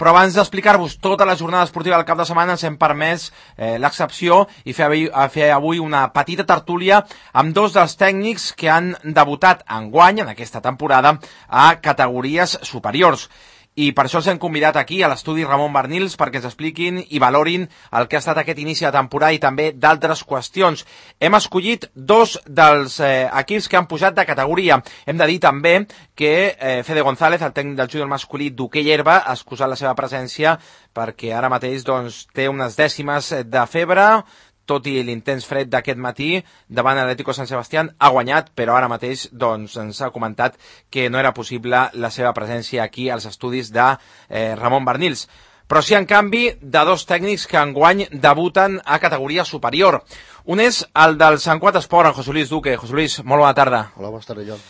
Però abans d'explicar-vos tota la jornada esportiva del cap de setmana ens hem permès l'excepció i fer avui una petita tertúlia amb dos dels tècnics que han debutat enguany, en aquesta temporada, a categories superiors. I per això els hem convidat aquí a l'estudi Ramon Barnils perquè ens expliquin i valorin el que ha estat aquest inici de temporada i també d'altres qüestions. Hem escollit dos dels equips que han pujat de categoria. Hem de dir també que Fede González, el tècnic del júnior masculí d'hoquei herba, ha excusat la seva presència perquè ara mateix té unes dècimes de febre. Tot i l'intens fred d'aquest matí davant l'Atlético Sant Sebastián, ha guanyat, però ara mateix ens ha comentat que no era possible la seva presència aquí als estudis de Ramon Barnils. Però sí, en canvi, de dos tècnics que enguany debuten a categoria superior. Un és el del Sant Cugat Esport, en José Luis Duque. José Luis, molt bona tarda. Hola, bona tarda, Joan.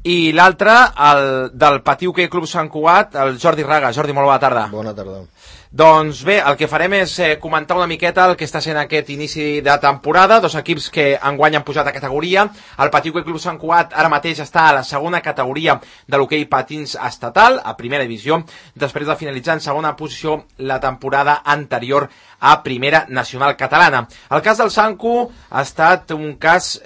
I l'altre, el del Patí Hoquei Club Sant Cugat, el Jordi Raga. Jordi, molt bona tarda. Bona tarda. Doncs bé, el que farem és comentar una miqueta el que està sent aquest inici de temporada. Dos equips que enguany han pujat a categoria. El Patí Hoquei Club Sant Cugat ara mateix està a la segona categoria de l'hoquei patins estatal, a primera divisió, després de finalitzar en segona posició la temporada anterior a primera nacional catalana. El cas del Sancu ha estat un cas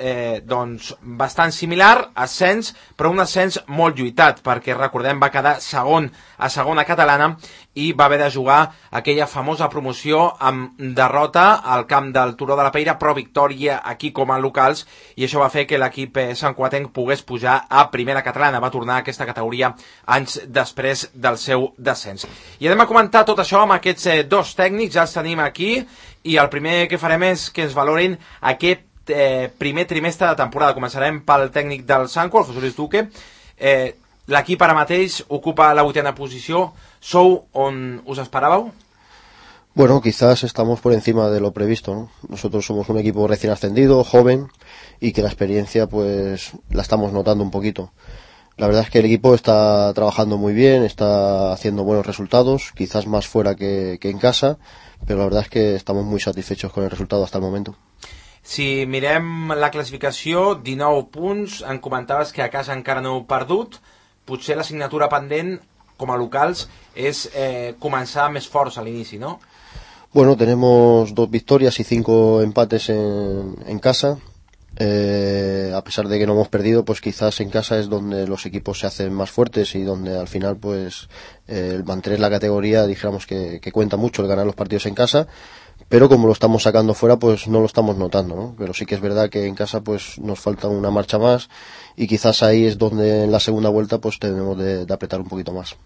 bastant similar, ascens, però un ascens molt lluitat, perquè recordem va quedar segon a segona catalana i va haver de jugar aquella famosa promoció amb derrota al camp del Turó de la Peira, però victòria aquí com a locals, i això va fer que l'equip santcugatenc pogués pujar a primera catalana. Va tornar a aquesta categoria anys després del seu descens. I anem a comentar tot això amb aquests dos tècnics, ja els tenim aquí, i el primer que farem és que ens valorin aquest primer trimestre de temporada. Començarem pel tècnic del Sancu, el José Luis Duque. L'equip ara mateix ocupa la 8ª posició. ¿Sou on us esperàveu? Bueno, quizás estamos por encima de lo previsto, ¿no? Nosotros somos un equipo recién ascendido, joven, y que la experiencia pues la estamos notando un poquito. La verdad es que el equipo está trabajando muy bien, está haciendo buenos resultados, quizás más fuera que en casa, pero la verdad es que estamos muy satisfechos con el resultado hasta el momento. Si mirem la classificació, 19 punts, em comentaves que a casa encara no heu perdut. Potser l'assignatura pendent com a locals és començar més forts a l'inici, ¿no? Bueno, tenemos 2 victorias y 5 empates en casa. A pesar de que no hemos perdido, pues quizás en casa es donde los equipos se hacen más fuertes y donde al final pues el mantener la categoría, dijéramos que cuenta mucho el ganar los partidos en casa, pero como lo estamos sacando fuera pues no lo estamos notando, ¿no? Pero sí que es verdad que en casa pues nos falta una marcha más y quizás ahí es donde en la segunda vuelta pues tenemos de apretar un poquito más.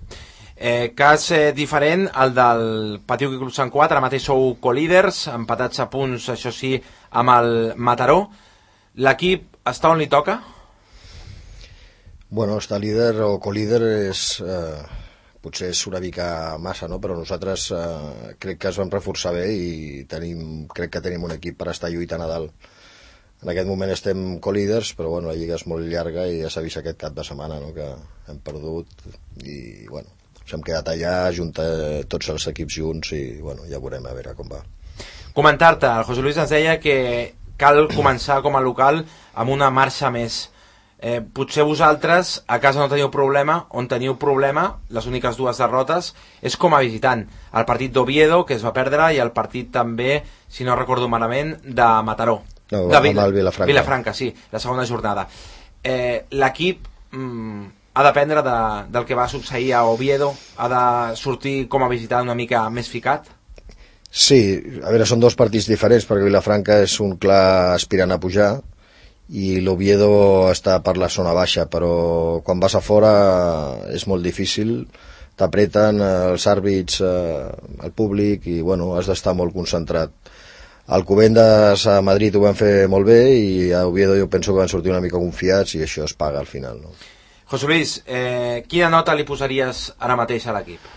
Cas diferent, el del Patí Hoquei Club Sant Cugat. Ara mateix sou colíders, empatats a punts, això sí, amb el Mataró. L'equip està on li toca? Bueno, estar líder o colíder potser és una mica massa, no? Però nosaltres crec que es vam reforçar bé i crec que tenim un equip per estar lluitant a dalt. En aquest moment estem colíders, però bueno, la lliga és molt llarga i ja s'ha vist aquest cap de setmana, no? Que hem perdut i bueno, ens hem quedat allà juntar tots els equips junts i bueno, ja veurem a veure com va. Comentar-te, el José Luis ens deia que cal començar com a local amb una marxa més. Potser vosaltres a casa no teniu problema, on teniu problema, les úniques 2 derrotes, és com a visitant. El partit d'Oviedo, que es va perdre, i el partit també, si no recordo malament, de Mataró. No, el Vilafranca. Vilafranca, sí, la segona jornada. L'equip ha d'aprendre del que va succeir a Oviedo, ha de sortir com a visitant una mica més ficat? Sí, a veure, són 2 partits diferents, perquè Vilafranca és un clar aspirant a pujar i l'Oviedo està per la zona baixa, però quan vas a fora és molt difícil, t'apreten els àrbits, el públic, i bueno, has d'estar molt concentrat. A Alcobendas a Madrid ho van fer molt bé i a Oviedo jo penso que van sortir una mica confiats i això es paga al final, no? José Luis, quina nota li posaries ara mateix a l'equip?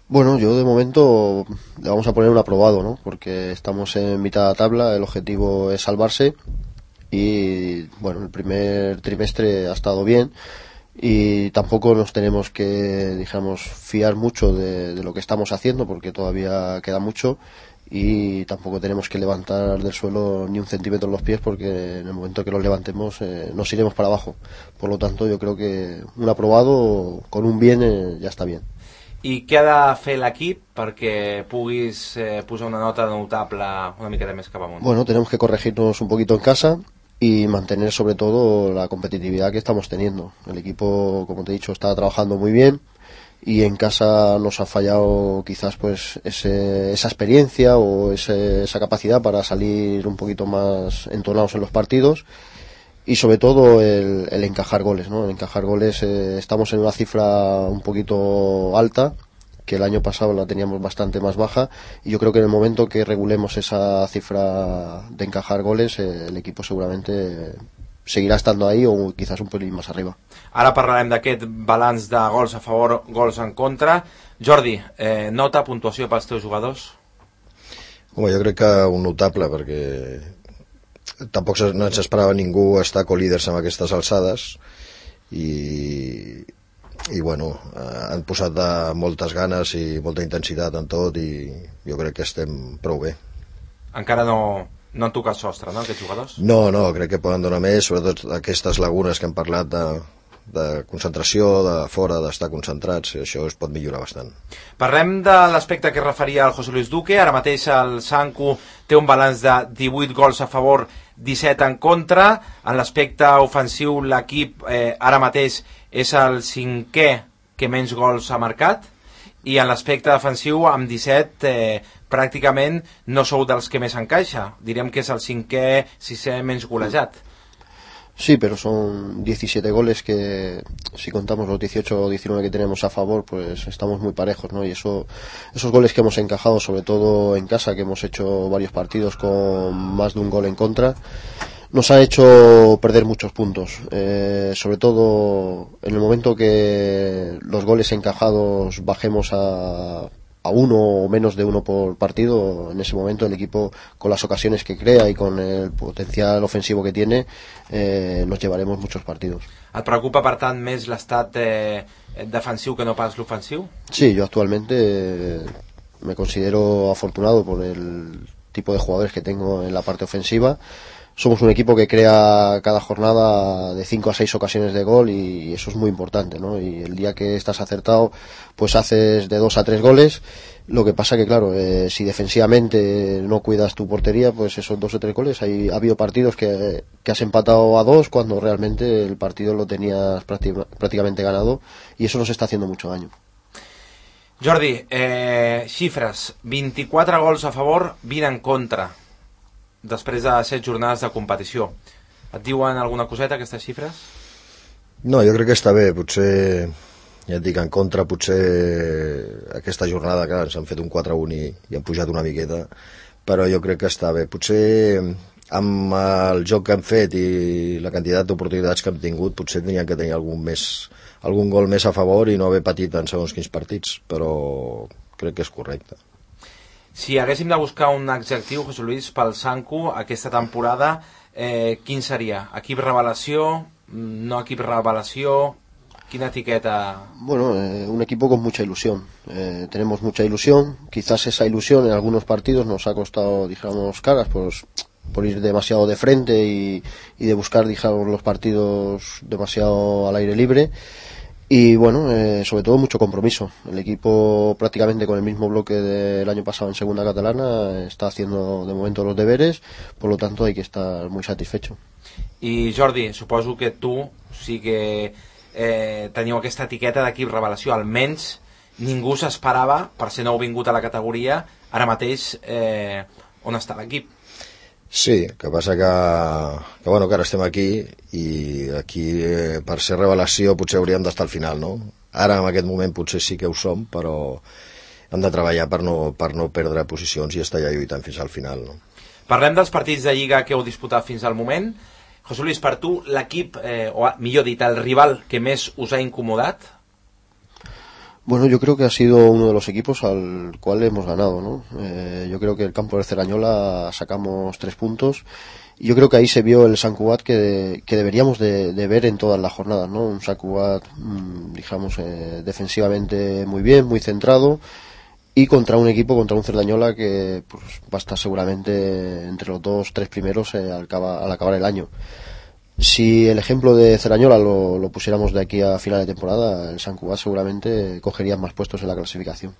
Bueno, yo de momento le vamos a poner un aprobado, ¿no? Porque estamos en mitad de tabla, el objetivo es salvarse y bueno, el primer trimestre ha estado bien y tampoco nos tenemos que, digamos, fiar mucho de lo que estamos haciendo porque todavía queda mucho y tampoco tenemos que levantar del suelo ni un centímetro los pies porque en el momento que los levantemos nos iremos para abajo. Por lo tanto, yo creo que un aprobado con un bien ya está bien. I què ha de fer l'equip perquè puguis posar una nota notable una miqueta més cap amunt? Bueno, tenemos que corregirnos un poquito en casa y mantener sobre todo la competitividad que estamos teniendo. El equipo, como te he dicho, está trabajando muy bien y en casa nos ha fallado quizás pues esa experiencia o esa capacidad para salir un poquito más entonados en los partidos. Y sobre todo el encajar goles, ¿no? El encajar goles, estamos en una cifra un poquito alta, que el año pasado la teníamos bastante más baja, y yo creo que en el momento que regulemos esa cifra de encajar goles, el equipo seguramente seguirà estando ahí o quizás un pelín más arriba. Ara parlarem d'aquest balanç de gols a favor, gols en contra. Jordi, nota, puntuació pels teus jugadors? Home, jo crec que un notable, perquè tampoc no ens esperava ningú estar co-líders amb aquestes alçades i bueno, han posat moltes ganes i molta intensitat en tot i jo crec que estem prou bé. Encara no han tocat sostre, no, aquests jugadors? No, crec que poden donar més, sobretot aquestes lagunes que hem parlat de concentració, de fora, d'estar concentrats, i això es pot millorar bastant. Parlem de l'aspecte que referia el José Luis Duque. Ara mateix el Sanku té un balanç de 18 gols a favor, 17 en contra. En l'aspecte ofensiu l'equip ara mateix és el cinquè que menys gols ha marcat, i en l'aspecte defensiu amb 17 pràcticament no sou dels que més encaixa. Direm que és el cinquè, sisè menys golejat. Sí, pero son 17 goles que, si contamos los 18 o 19 que tenemos a favor, pues estamos muy parejos, ¿no? Y esos goles que hemos encajado, sobre todo en casa, que hemos hecho varios partidos con más de un gol en contra, nos ha hecho perder muchos puntos. Sobre todo en el momento que los goles encajados bajemos a uno o menos de uno por partido, en ese momento el equipo, con las ocasiones que crea y con el potencial ofensivo que tiene, nos llevaremos muchos partidos. Et preocupa, per tant, més l'estat defensiu que no pas l'ofensiu? Sí, yo actualmente me considero afortunado por el tipo de jugadores que tengo en la parte ofensiva. Somos un equipo que crea cada jornada de 5 a 6 ocasiones de gol y eso es muy importante, ¿no? Y el día que estás acertado, pues haces de 2 a 3 goles. Lo que pasa que, claro, si defensivamente no cuidas tu portería, pues esos 2 o 3 goles, ha habido partidos que has empatado a 2 cuando realmente el partido lo tenías prácticamente ganado, y eso nos está haciendo mucho daño. Jordi, xifres: 24 gols a favor, 20 en contra, després de 7 jornades de competició. Et diuen alguna coseta aquestes xifres? No, jo crec que està bé. Potser, ja et dic, en contra, potser aquesta jornada, clar, ens han fet un 4-1 i han pujat una miqueta, però jo crec que està bé. Potser amb el joc que han fet i la quantitat d'oportunitats que hem tingut, potser tenien que tenir algun gol més a favor i no haver patit en segons quins partits, però crec que és correcte. Si haguéssim de buscar un adjectiu, José Luis, pel Sanku aquesta temporada, quin seria? Equip revelació? No equip revelació? Quina etiqueta? Bueno, un equipo con mucha ilusión. Tenemos mucha ilusión. Quizás esa ilusión en algunos partidos nos ha costado, digamos, caras, pues, por ir demasiado de frente y de buscar, digamos, los partidos demasiado al aire libre. Y bueno, sobre todo mucho compromiso. El equipo, prácticamente con el mismo bloque del año pasado en segunda catalana, está haciendo de momento los deberes, por lo tanto hay que estar muy satisfecho. I Jordi, suposo que tu sí que teniu aquesta etiqueta d'equip revelació. Almenys ningú s'esperava, per ser nou vingut a la categoria, ara mateix on està l'equip. Sí, que passa que bueno, que ara estem aquí i aquí per ser revelació potser hauríem d'estar al final, no? Ara en aquest moment potser sí que ho som, però hem de treballar per no perdre posicions i estar allà lluitant fins al final, no? Parlem dels partits de Lliga que heu disputat fins al moment. José Luis, per tu l'equip, o millor dit, el rival que més us ha incomodat? Bueno, yo creo que ha sido uno de los equipos al cual hemos ganado, ¿no? Yo creo que el campo de Cerdañola sacamos 3 puntos y yo creo que ahí se vio el Sant Cugat que deberíamos de ver en todas las jornadas, ¿no? Un Sant Cugat, digamos, defensivamente muy bien, muy centrado, y contra un equipo, contra un Cerdañola que pues va a estar seguramente entre los 2-3 primeros al acabar el año. Si el ejemplo de Cerañola lo pusiéramos de aquí a final de temporada, el Sant Cugat seguramente cogería más puestos en la clasificación.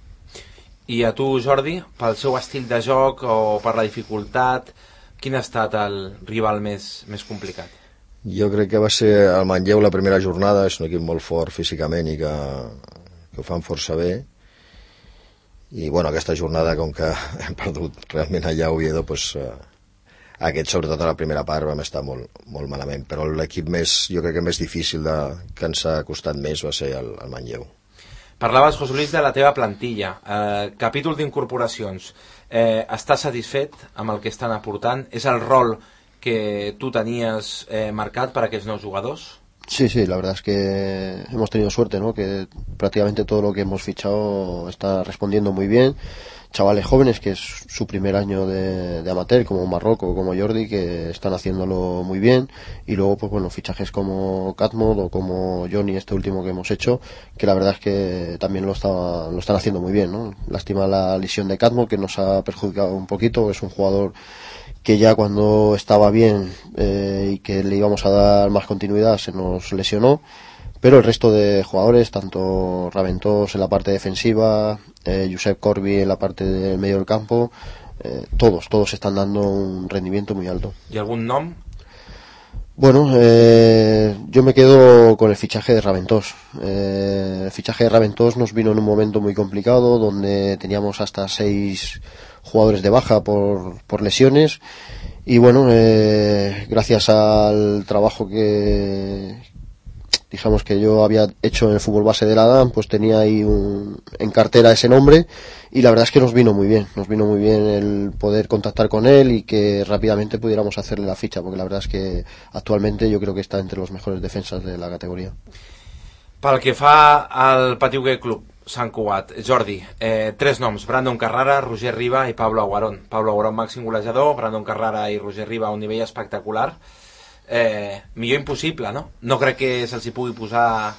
I a tu, Jordi, pel seu estil de joc o per la dificultat, quin ha estat el rival més complicat? Jo crec que va ser el Manlleu la primera jornada, és un equip molt fort físicament i que ho fan força bé. I bueno, aquesta jornada, com que hem perdut realment allà a Oviedo, doncs, aquest, sobretot a la primera part, vam estar molt, molt malament. Però l'equip jo crec que més difícil que ens ha costat més va ser el Manlleu. Parlaves, José Luis, de la teva plantilla. Capítol d'incorporacions. Estàs satisfet amb el que estan aportant? És el rol que tú tenías marcado para aquellos nuevos jugadores? Sí, la verdad es que hemos tenido suerte, ¿no? Que prácticamente todo lo que hemos fichado está respondiendo muy bien. Chavales jóvenes, que es su primer año de amateur, como Marroco, como Jordi, que están haciéndolo muy bien. Y luego, pues bueno, fichajes como Catmod o como Johnny, este último que hemos hecho, que la verdad es que también lo están haciendo muy bien, ¿no? Lástima la lesión de Catmod, que nos ha perjudicado un poquito. Es un jugador que ya cuando estaba bien y que le íbamos a dar más continuidad se nos lesionó, pero el resto de jugadores, tanto Raventós en la parte defensiva, Josep Corbi en la parte del medio del campo, todos están dando un rendimiento muy alto. ¿Y algún nombre? Bueno, yo me quedo con el fichaje de Raventós. El fichaje de Raventós nos vino en un momento muy complicado, donde teníamos hasta 6 jugadores de baja por lesiones, y bueno, gracias al trabajo que digamos que yo había hecho en el fútbol base de la DAM, pues tenía ahí en cartera ese nombre, y la verdad es que nos vino muy bien el poder contactar con él y que rápidamente pudiéramos hacerle la ficha, porque la verdad es que actualmente yo creo que está entre los mejores defensas de la categoría. Pel que fa al Patí Hoquei Club Sant Cugat, Jordi, 3 noms: Brandon Carrara, Roger Riba i Pablo Aguarón. Pablo Aguarón, màxim golejador; Brandon Carrara i Roger Riba a un nivell espectacular. Millor impossible, no? No crec que se'ls hi pugui posar...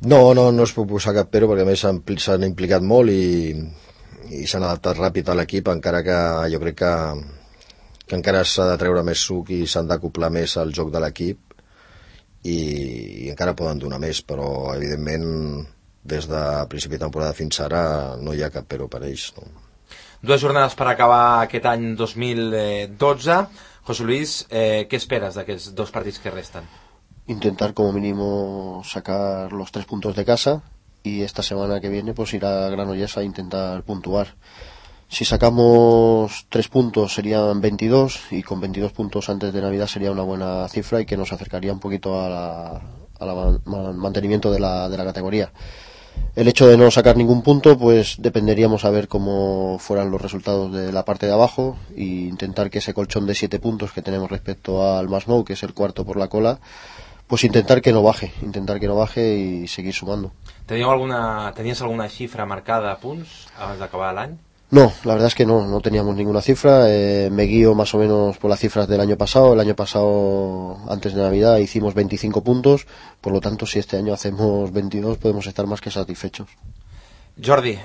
No es pot posar cap però, perquè a més s'han implicat molt i s'han adaptat ràpid a l'equip, encara que jo crec que encara s'ha de treure més suc i s'han d'acoplar més al joc de l'equip i encara poden donar més, però evidentment des de principi de temporada fins ara no hi ha cap però per ells, no? 2 jornades per acabar aquest any 2012. José Luis, ¿qué esperas de aquellos 2 partits que restan? Intentar como mínimo sacar los 3 puntos de casa, y esta semana que viene pues ir a Granollers a intentar puntuar. Si sacamos 3 puntos serían 22, y con 22 puntos antes de Navidad sería una buena cifra y que nos acercaría un poquito al mantenimiento de la categoría. El hecho de no sacar ningún punto, pues dependeríamos a ver cómo fueran los resultados de la parte de abajo, e intentar que ese colchón de 7 puntos que tenemos respecto al Masnou, que es el cuarto por la cola, pues intentar que no baje y seguir sumando. ¿Tenías alguna xifra marcada a punts abans d'acabar l'any? No, la verdad es que no teníamos ninguna cifra. Me guío más o menos por las cifras del año pasado. El año pasado, antes de Navidad, hicimos 25 puntos. Por lo tanto, si este año hacemos 22, podemos estar más que satisfechos. Jordi,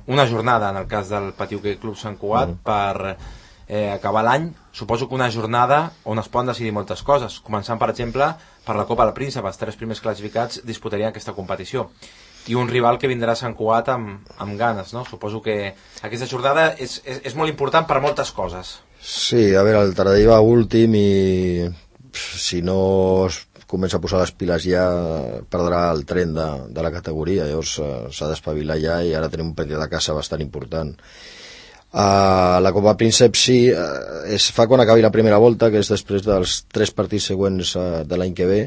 una jornada en el cas del Patí Hoquei Club Sant Cugat per acabar l'any. Suposo que una jornada on es poden decidir moltes coses, començant, per exemple, per la Copa del Príncep. Els 3 primers classificats disputarien aquesta competició, i un rival que vindrà a Sant Cugat amb ganes, no? Suposo que aquesta jornada és molt important per moltes coses. Sí, a veure, el Taradell va últim i si no es comença a posar les piles ja perdrà el tren de la categoria, llavors s'ha d'espavilar ja, i ara tenim un partit de casa bastant important. La Copa Príncep sí, es fa quan acabi la primera volta, que és després dels 3 partits següents de l'any que ve,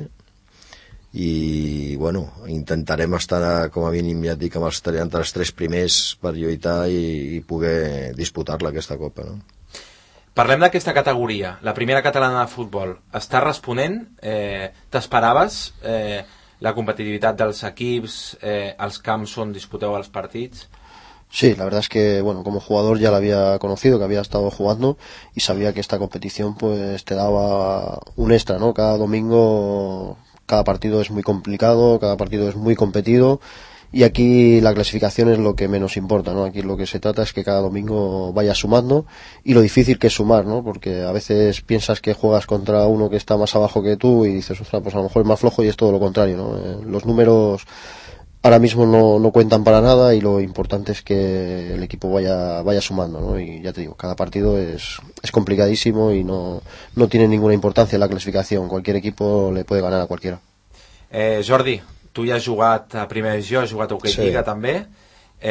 i bueno, intentarem estar com a mínim, ja et dic, entre els 3 primers per lluitar i poder disputar-la, aquesta Copa, no? Parlem d'aquesta categoria, la primera catalana de futbol. Està responent? T'esperaves la competitivitat dels equips, els camps on disputeu els partits? Sí, la verdad es que, bueno, como jugador ya la había conocido, que había estado jugando, y sabía que esta competición pues te daba un extra, ¿no? Cada domingo, cada partido es muy complicado, cada partido es muy competido, y aquí la clasificación es lo que menos importa, ¿no? Aquí lo que se trata es que cada domingo vayas sumando, y lo difícil que es sumar, ¿no? Porque a veces piensas que juegas contra uno que está más abajo que tú y dices, ostras, pues a lo mejor es más flojo, y es todo lo contrario, ¿no? Los números ahora mismo no cuentan para nada, y lo importante es que el equipo vaya sumando, ¿no? Y ya te digo, cada partido es complicadísimo y no tiene ninguna importancia en la clasificación. Cualquier equipo le puede ganar a cualquiera. Jordi, tu ja has jugat a primera divisió, has jugat a Hockey Lliga també.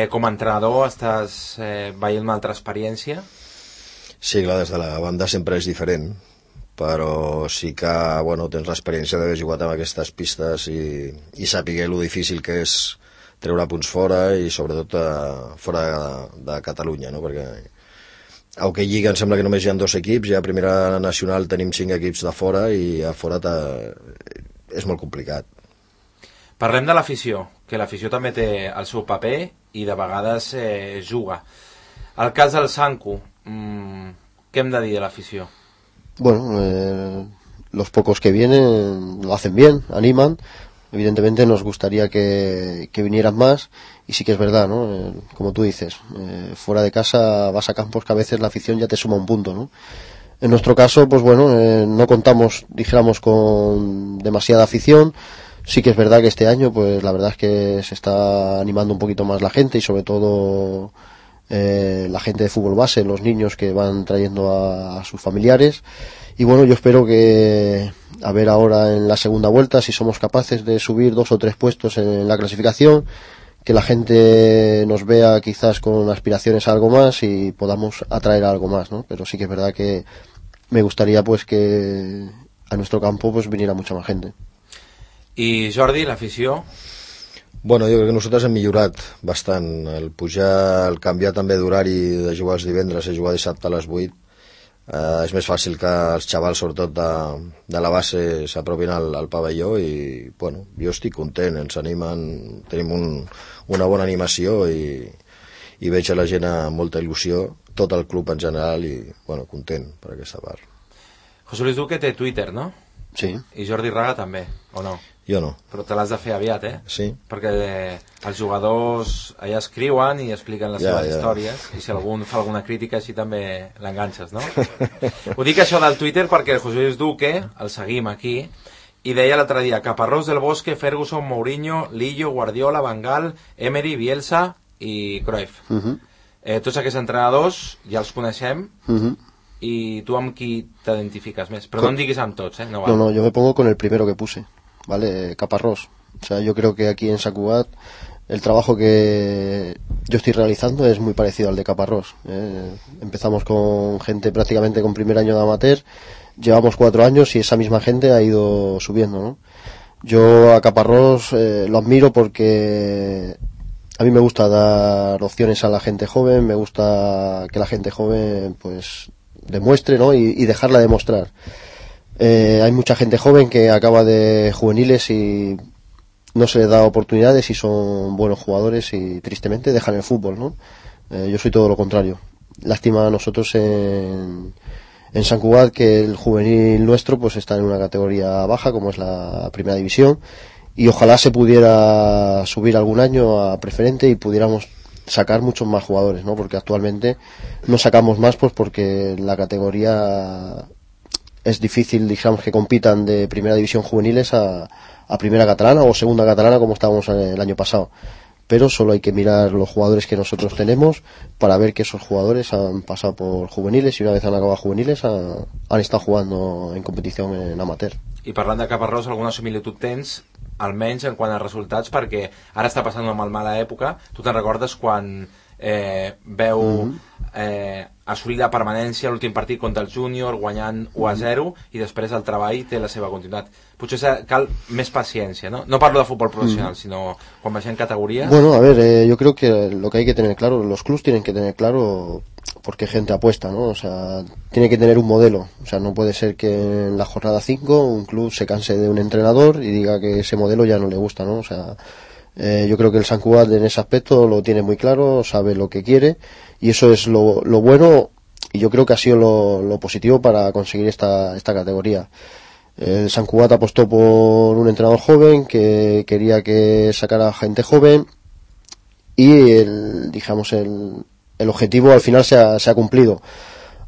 Com a entrenador estàs veient una altra experiència? Sí, clar, des de la banda sempre és diferent, però sí que tens l'experiència d'haver jugat amb aquestes pistes i saber lo difícil que és treure punts fora, i sobretot fora de Catalunya, no? Perquè a Hockey Lliga em sembla que només hi ha 2 equips, i a Primera Nacional tenim 5 equips de fora, i a fora és molt complicat. Parlem de l'afició, que l'afició també té el seu paper i de vegades juga. El cas del Sanku, què hem de dir de l'afició? Bueno, los pocos que vienen lo hacen bien, animan. Evidentemente nos gustaría que vinieran más, y sí que es verdad, ¿no? Como tú dices, fuera de casa vas a campos que a veces la afición ya te suma un punto, ¿no? En nuestro caso, pues bueno, no contamos, dijéramos, con demasiada afición. Sí que es verdad que este año, pues la verdad es que se está animando un poquito más la gente, y sobre todo la gente de fútbol base, los niños que van trayendo a sus familiares. Y bueno, yo espero que, a ver ahora en la segunda vuelta, si somos capaces de subir 2 o 3 puestos en la clasificación, que la gente nos vea quizás con aspiraciones a algo más y podamos atraer a algo más, ¿no? Pero sí que es verdad que me gustaría pues que a nuestro campo pues viniera mucha más gente. I Jordi, l'afició? Bueno, jo crec que nosaltres hem millorat bastant. El pujar, el canviar també d'horari, de jugar els divendres a jugar dissabte a les 8, és més fàcil que els xavals, sobretot de la base, s'apropin al pavelló, i bueno, jo estic content, ens animen, tenim una bona animació, i veig a la gent amb molta il·lusió, tot el club en general, i bueno, content per aquesta part. José Luis Duque té Twitter, no? Sí. I Jordi Raga també, o no? Jo no. Però te l'has de fer aviat, Sí. Perquè els jugadors allà escriuen i expliquen les seves històries, i si algú fa alguna crítica així també l'enganxes, no? Ho dic això del Twitter perquè el José Luis Duque, el seguim aquí, i deia l'altre dia: Caparrós, Del Bosque, Ferguson, Mourinho, Lillo, Guardiola, Van Gaal, Emery, Bielsa i Cruyff. Tots aquests entrenadors ja els coneixem, i tu amb qui t'identifiques més? Però no em diguis amb tots, No, yo me pongo con el primero que puse, ¿vale? Caparrós. O sea, yo creo que aquí en Sant Cugat el trabajo que yo estoy realizando es muy parecido al de Caparrós. Empezamos con gente prácticamente con primer año de amateur, llevamos 4 años y esa misma gente ha ido subiendo, ¿no? Yo a Caparrós lo admiro porque a mí me gusta dar opciones a la gente joven, me gusta que la gente joven pues demuestre, ¿no? Y dejarla demostrar. Hay mucha gente joven que acaba de juveniles y no se les da oportunidades y son buenos jugadores y tristemente dejan el fútbol, ¿no? Yo soy todo lo contrario. Lástima a nosotros en Sant Cugat que el juvenil nuestro pues está en una categoría baja como es la primera división, y ojalá se pudiera subir algún año a preferente y pudiéramos sacar muchos más jugadores, ¿no? Porque actualmente no sacamos más pues porque la categoría es difícil, digamos, que compitan de primera división juveniles a primera catalana o segunda catalana como estábamos el año pasado. Pero solo hay que mirar los jugadores que nosotros tenemos para ver que esos jugadores han pasado por juveniles y una vez han acabado juveniles han estado jugando en competición en amateur. I parlant de Caparrós, alguna similitud tens, almenys en quant a resultats, perquè ara està passant una molt mala època. Tu te'n recordes quan veu assolir la permanència a l'últim partit contra el Júnior, guanyant 1-0, i després el treball té la seva continuïtat. Potser cal més paciència, ¿no? No parlo de fútbol profesional, sino quan baixem categorías. Bueno, a ver, yo creo que lo que hay que tener claro, los clubs tienen que tener claro por qué gente apuesta, ¿no? O sea, tiene que tener un modelo. O sea, no puede ser que en la jornada 5 un club se canse de un entrenador y diga que ese modelo ya no le gusta, ¿no? O sea, yo creo que el Sant Cugat en ese aspecto lo tiene muy claro, sabe lo que quiere, y eso es lo bueno, y yo creo que ha sido lo positivo para conseguir esta categoría. El Sant Cugat apostó por un entrenador joven que quería que sacara gente joven, y el objetivo al final se ha cumplido.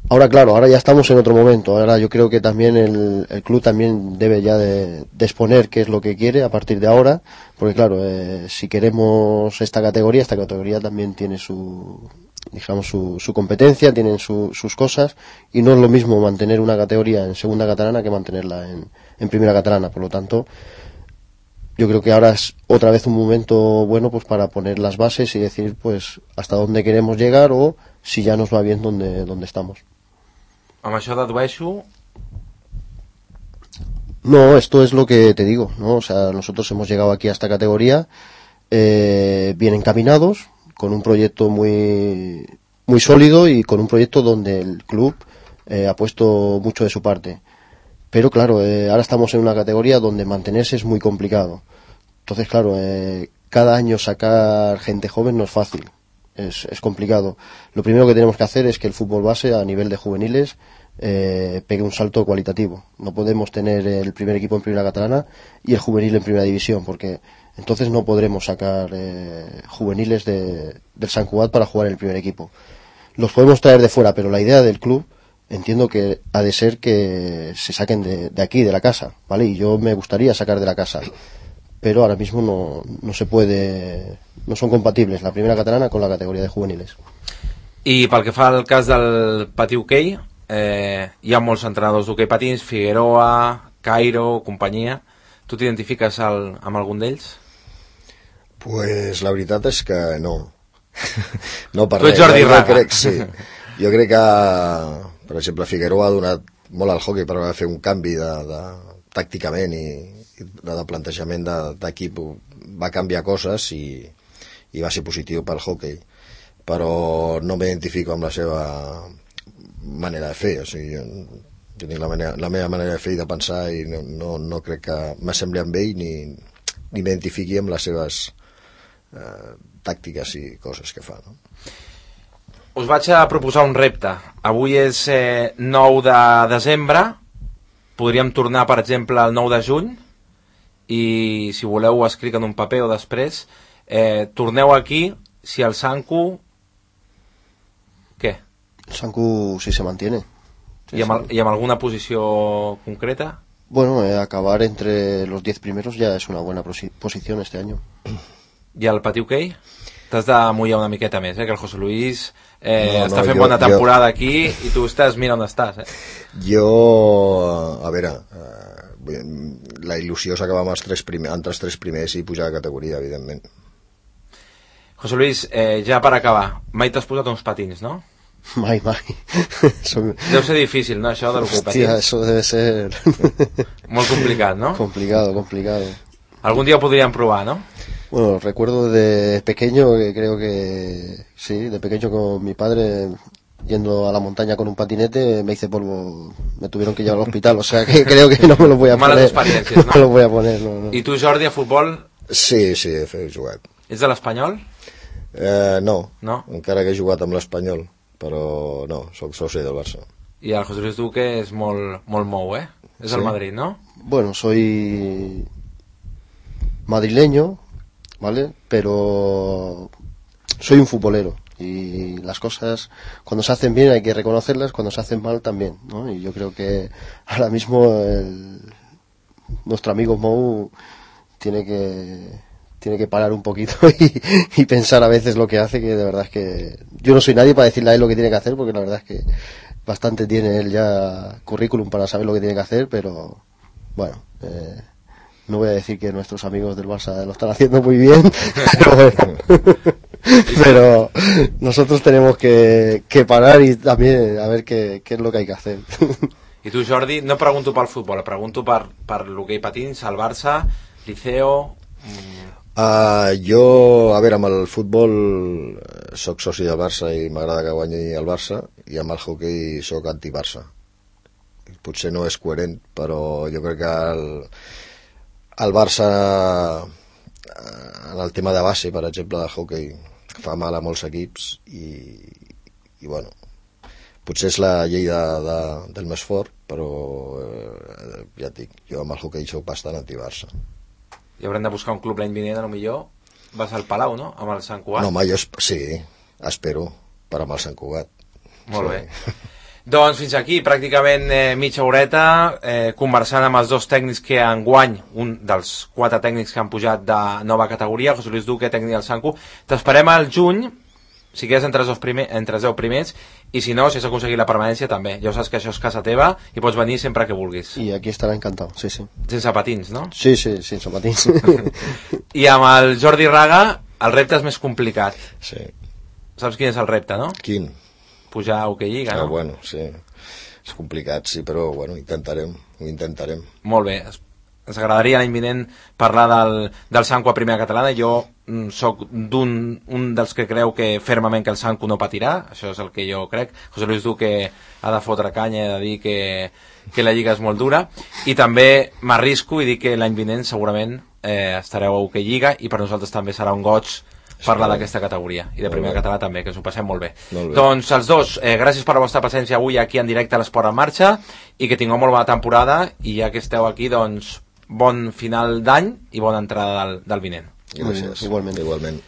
Ahora, claro, ahora ya estamos en otro momento. Ahora yo creo que también el club también debe ya de exponer qué es lo que quiere a partir de ahora, porque claro, si queremos esta categoría también tiene su competencia, tienen sus cosas, y no es lo mismo mantener una categoría en segunda catalana que mantenerla en primera catalana. Por lo tanto, yo creo que ahora es otra vez un momento bueno pues para poner las bases y decir pues hasta dónde queremos llegar o si ya nos va bien donde estamos. Amb això dedueixo... No, esto es lo que te digo, ¿no? O sea, nosotros hemos llegado aquí a esta categoría bien encaminados, con un proyecto muy sólido y con un proyecto donde el club ha puesto mucho de su parte. Pero claro, ahora estamos en una categoría donde mantenerse es muy complicado. Entonces, claro, cada año sacar gente joven no es fácil. Es complicado. Lo primero que tenemos que hacer es que el fútbol base a nivel de juveniles pegue un salto cualitativo. No podemos tener el primer equipo en primera catalana y el juvenil en primera división, porque entonces no podremos sacar juveniles del Sant Cugat para jugar en el primer equipo. Los podemos traer de fuera, pero la idea del club entiendo que ha de ser que se saquen de aquí, de la casa, ¿vale? Y yo me gustaría sacar de la casa, pero ahora mismo no se puede, no son compatibles la primera catalana con la categoría de juveniles. I pel que fa al cas del Patí Hoquei, hi ha molts entrenadors d'hoquei patins, Figueroa, Cairo, companyia. Tu t'identifiques amb algun d'ells? Pues la veritat és que no. No per tu ets Jordi Raga. Jo crec que, per exemple, Figueroa ha donat molt al hoquei, però va fer un canvi tàcticament i de plantejament d'equip, va canviar coses i va ser positiu pel hoquei, però no m'identifico amb la seva manera de fer. O sigui, jo tinc la meva manera de fer i de pensar i no crec que m'assembli amb ell ni m'identifiqui amb les seves tàctiques i coses que fa, no? Us vaig a proposar un repte. Avui és 9 de desembre, podríem tornar, per exemple, el 9 de juny, i si voleu ho escric en un paper o després, torneu aquí si el Sanku... Què? El Sanku si se mantiene. ¿Y amb alguna posició concreta? Bueno, acabar entre los 10 primeros ya es una buena posición este año. I el Patí Hoquei? T'has de mullar una miqueta més, que el José Luis està fent bona temporada aquí i tu estàs, mira on estàs. Jo, a veure, la il·lusió és acabar amb entre els 3 primers i pujar de categoria, evidentment. José Luis, ja per acabar, mai t'has posat uns patins, no? Mai. Deu ser difícil, ¿no? Això de l'hoquei patins. Hòstia, eso debe ser... Molt complicat, ¿no? Complicado. Algún día podrían probar, ¿no? Bueno, recuerdo de pequeño, que creo que sí, de pequeño con mi padre yendo a la montaña con un patinete, me hice polvo, me tuvieron que llevar al hospital, o sea que creo que no me lo voy a poner. Malas experiencias, ¿no? No me lo voy a poner, no. I tu, Jordi, a futbol? Sí, he jugat. Ets de l'Espanyol? No, encara que he jugat amb l'Espanyol, però no, soc soci del Barça. I el José Luis Duque és molt mou, eh? És el Madrid, ¿no? Bueno, soy madrileño, ¿vale? Pero soy un futbolero y las cosas cuando se hacen bien hay que reconocerlas, cuando se hacen mal también, ¿no? Y yo creo que ahora mismo nuestro amigo Mou tiene que parar un poquito y pensar a veces lo que hace, que de verdad es que yo no soy nadie para decirle a él lo que tiene que hacer, porque la verdad es que bastante tiene él ya currículum para saber lo que tiene que hacer, pero bueno, no voy a decir que nuestros amigos del Barça lo están haciendo muy bien, pero bueno. Pero nosotros tenemos que parar y también a ver qué es lo que hay que hacer. I tu, Jordi, no pregunto pel futbol, pregunto per l'hoquei patins, el Barça, Liceo... Jo, a veure, amb el futbol soc soci del Barça i m'agrada que guanyi el Barça, i amb el hoquei soc anti-Barça. Potser no és coherent, però jo crec que el Barça, en el tema de base, per exemple, de hoquei, fa mal a molts equips i bueno, potser és la llei del més fort, però ja et dic, jo amb el hoquei soc bastant anti-Barça. I haurem de buscar un club l'any vinent, a lo millor, vas al Palau, no?, amb el Sant Cugat. No, home, jo sí, espero per amb el Sant Cugat. Molt bé. Doncs fins aquí, pràcticament mitja horeta, conversant amb els dos tècnics que enguany, un dels 4 tècnics que han pujat de nova categoria, José Luis Duque, tècnic del Sancu. T'esperem al juny, si quedes entre els 10 primers, i si no, si has aconseguit la permanència també. Ja saps que això és casa teva i pots venir sempre que vulguis. I aquí estarà encantat, sí, sí. Sense patins, no? Sí, sí, sense patins. I amb el Jordi Raga, el repte és més complicat. Sí. Saps quin és el repte, no? Quin? Pujar a Hockey Lliga, no? Bueno, sí. És complicat, sí, però bueno, ho intentarem. Molt bé. Ens agradaria l'any vinent parlar del Sancu a primera catalana. Jo sóc un dels que creu que fermament que el Sancu no patirà. Això és el que jo crec. José Luis Duque ha de fotre canya i ha de dir que la lliga és molt dura. I també m'arrisco i dic que l'any vinent segurament estareu a Hockey Lliga i per nosaltres també serà un goig parlar d'aquesta categoria i de primera català també, que ens ho passem molt bé. Doncs els dos, gràcies per la vostra presència avui aquí en directe a l'Esport en Marxa i que tingueu molt bona temporada i ja que esteu aquí, doncs bon final d'any i bona entrada del vinent. Gràcies. Igualment.